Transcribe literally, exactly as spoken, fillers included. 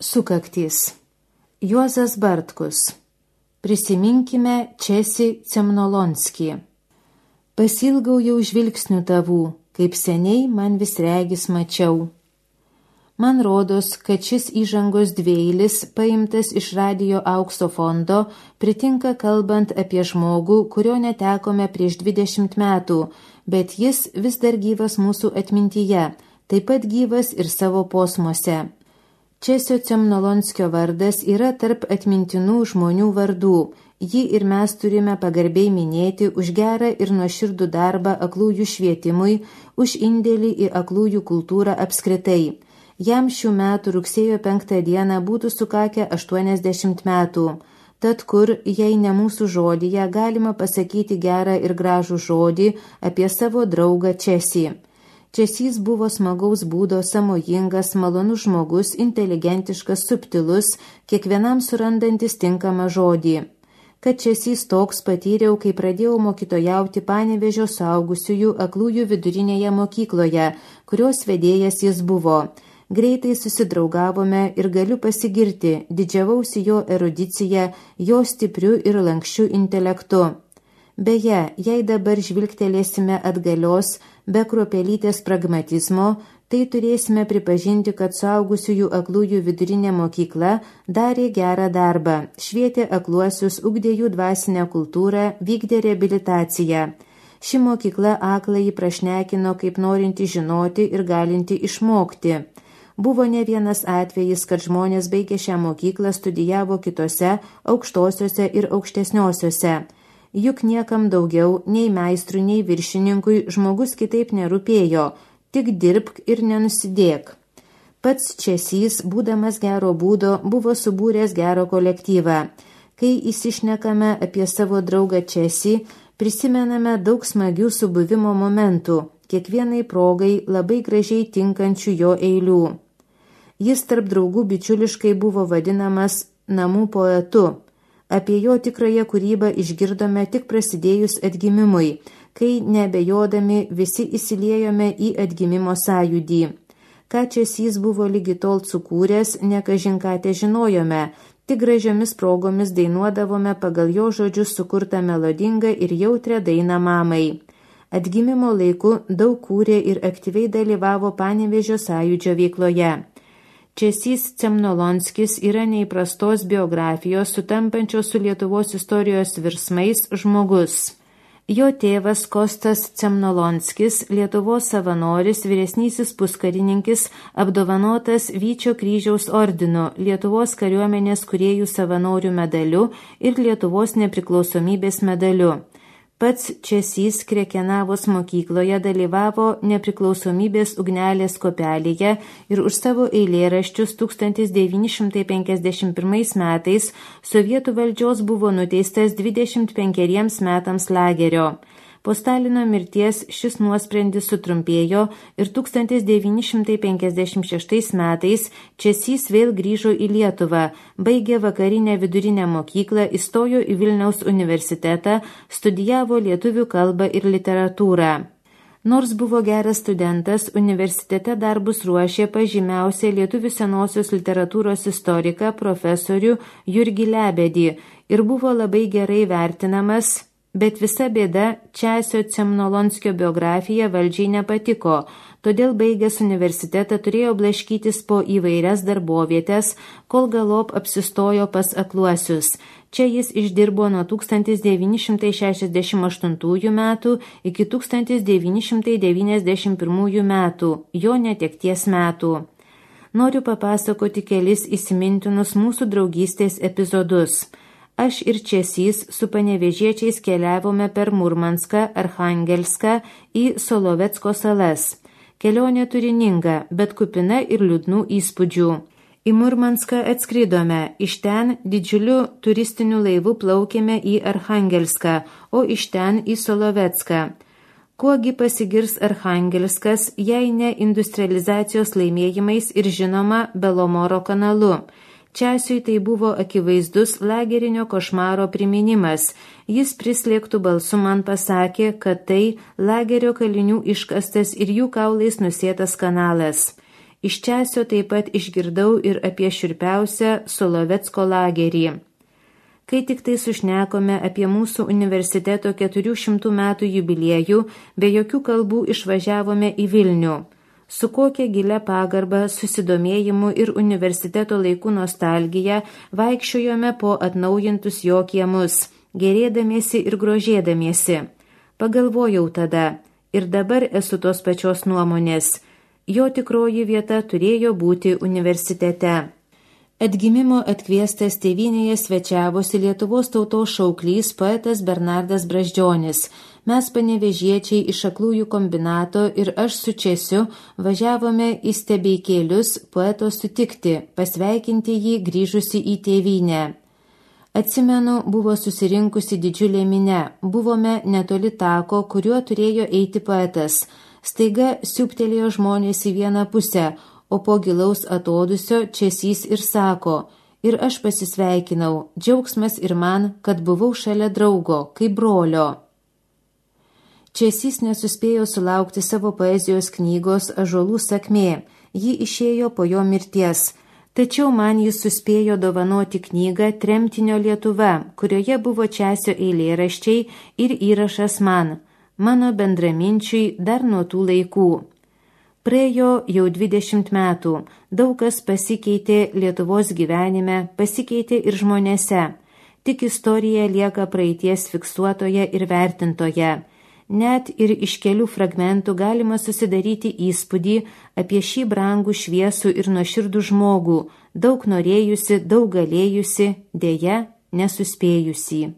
Sukaktys. Juozas Bartkus. Prisiminkime Česį Cemnolonskį. Pasilgau jau žvilgsnių tavų, kaip seniai man vis regis mačiau. Man rodos, kad šis įžangos dvieilis, paimtas iš radijo aukso fondo, pritinka kalbant apie žmogų, kurio netekome prieš dvidešimt metų, bet jis vis dar gyvas mūsų atmintyje, taip pat gyvas ir savo posmuose. Česio Cemnolonskio vardas yra tarp atmintinų žmonių vardų. Jį ir mes turime pagarbiai minėti už gerą ir nuoširdų darbą aklųjų švietimui, už indėlį į aklųjų kultūrą apskritai. Jam šių metų rugsėjo penktą dieną būtų sukakę aštuoniasdešimt metų. Tad kur, jei ne mūsų žodyje, galima pasakyti gerą ir gražų žodį apie savo draugą Česį. Česys buvo smagaus būdo, samojingas, malonus žmogus, inteligentiškas, subtilus, kiekvienam surandantis tinkamą žodį. Kad Česys toks patyriau, kai pradėjau mokytojauti Panevėžio suaugusiųjų aklųjų vidurinėje mokykloje, kurios vedėjas jis buvo. Greitai susidraugavome ir galiu pasigirti, didžiavausi jo erudicija, jo stipriu ir lankščiu intelektu. Beje, jei dabar žvilgtelėsime atgalios, be kruopelytės pragmatizmo, tai turėsime pripažinti, kad suaugusiųjų aklųjų vidurinė mokykla darė gerą darbą, švietė akluosius, ugdė jų dvasinę kultūrą, vykdė reabilitaciją. Ši mokykla akląjį prašnekino kaip norinti žinoti ir galinti išmokti. Buvo ne vienas atvejis, kad žmonės baigė šią mokyklą, studijavo kitose, aukštosiuose ir aukštesniosiuose. Juk niekam daugiau, nei meistrui, nei viršininkui žmogus kitaip nerūpėjo, tik dirbk ir nenusidėk. Pats Česys, būdamas gero būdo, buvo subūręs gero kolektyvą. Kai įsišnekame apie savo draugą Česį, prisimename daug smagių subuvimo momentų, kiekvienai progai labai gražiai tinkančių jo eilių. Jis tarp draugų bičiuliškai buvo vadinamas namų poetu. Apie jo tikrąją kūrybą išgirdome tik prasidėjus atgimimui, kai neabejodami visi įsiliejome į atgimimo sąjūdį. Ką Česys buvo lygi tol sukūręs, ne kažin ką te žinojome, tik gražiomis progomis dainuodavome pagal jo žodžius sukurtą melodingą ir jautrią dainą mamai. Atgimimo laiku daug kūrė ir aktyviai dalyvavo Panevėžio sąjūdžio veikloje. Česys Cemnolonskis yra neįprastos biografijos, sutampančios su Lietuvos istorijos virsmais žmogus. Jo tėvas Kostas Cemnolonskis, Lietuvos savanoris, vyresnysis puskarininkis, apdovanotas Vyčio kryžiaus ordinu, Lietuvos kariuomenės kūrėjų savanorių medaliu ir Lietuvos nepriklausomybės medaliu. Pats Česys Krekenavos mokykloje dalyvavo nepriklausomybės ugnelės kopelėje ir už savo eilėraščius tūkstantis devyni šimtai penkiasdešimt pirmais metais sovietų valdžios buvo nuteistas dvidešimt penkeriems metams lagerio. Po Stalino mirties šis nuosprendis sutrumpėjo ir tūkstantis devyni šimtai penkiasdešimt šeštais metais Česys vėl grįžo į Lietuvą, baigė vakarinę vidurinę mokyklą, įstojo į Vilniaus universitetą, studijavo lietuvių kalbą ir literatūrą. Nors buvo geras studentas, universitete darbus ruošė pažymiausią lietuvių senosios literatūros istoriką profesorių Jurgį Lebedį ir buvo labai gerai vertinamas. Bet visa bėda, Česio Cemnolonskio biografija valdžiai nepatiko, todėl baigęs universitetą turėjo blaškytis po įvairias darbovietes, kol galop apsistojo pas akluosius. Čia jis išdirbo nuo tūkstantis devyni šimtai šešiasdešimt aštuntųjų metų iki tūkstantis devyni šimtai devyniasdešimt pirmųjų metų, jo netekties metų. Noriu papasakoti kelis įsimintinus mūsų draugystės epizodus. Aš ir Česys su panevėžiečiais keliavome per Murmanską, Archangelską į Solovecko salas. Kelionė turininga, bet kupina ir liūdnų įspūdžių. Į Murmanską atskridome, iš ten didžiuliu turistiniu laivu plaukėme į Archangelską, o iš ten į Solovecką. Kuogi pasigirs Archangelskas, jei ne industrializacijos laimėjimais ir žinoma Belomoro kanalu. Česiui tai buvo akivaizdus lagerinio košmaro priminimas. Jis prislėgtų balsu man pasakė, kad tai lagerio kalinių iškastas ir jų kaulais nusėtas kanalas. Iš Česio taip pat išgirdau ir apie šiurpiausią Solovecko lagerį. Kai tik tai sušnekome apie mūsų universiteto keturių šimtų metų jubiliejų, be jokių kalbų išvažiavome į Vilnių. Su kokia gilia pagarba, susidomėjimu ir universiteto laikų nostalgija vaikščiojome po atnaujintus jo kiemus, gerėdamiesi ir grožėdamiesi. Pagalvojau tada, ir dabar esu tos pačios nuomonės. Jo tikroji vieta turėjo būti universitete. Atgimimo atkviestas tėvynėje svečiavosi Lietuvos tautos šauklys poetas Bernardas Brazdžionis. Mes panevėžiečiai iš Aklųjų kombinato ir aš su Česiu važiavome į Stebeikėlius poeto sutikti, pasveikinti jį grįžusi į tėvynę. Atsimenu, buvo susirinkusi didžiulė minia, buvome netoli tako, kuriuo turėjo eiti poetas. Staiga siūptelėjo žmonės į vieną pusę, o po gilaus atodusio Česys ir sako, ir aš pasisveikinau, džiaugsmas ir man, kad buvau šalia draugo, kaip brolio. Česys nesuspėjo sulaukti savo poezijos knygos Ąžuolų sakmė, ji išėjo po jo mirties, tačiau man jis suspėjo dovanoti knygą Tremtinio Lietuva, kurioje buvo Česio eilėraščiai ir įrašas man, mano bendraminčiui dar nuo tų laikų. Praėjo jau dvidešimt metų, daug kas pasikeitė Lietuvos gyvenime, pasikeitė ir žmonėse. Tik istorija lieka praeities fiksuotoje ir vertintoje. Net ir iš kelių fragmentų galima susidaryti įspūdį apie šį brangų šviesų ir nuoširdų žmogų, daug norėjusi, daug galėjusi, deja nesuspėjusi.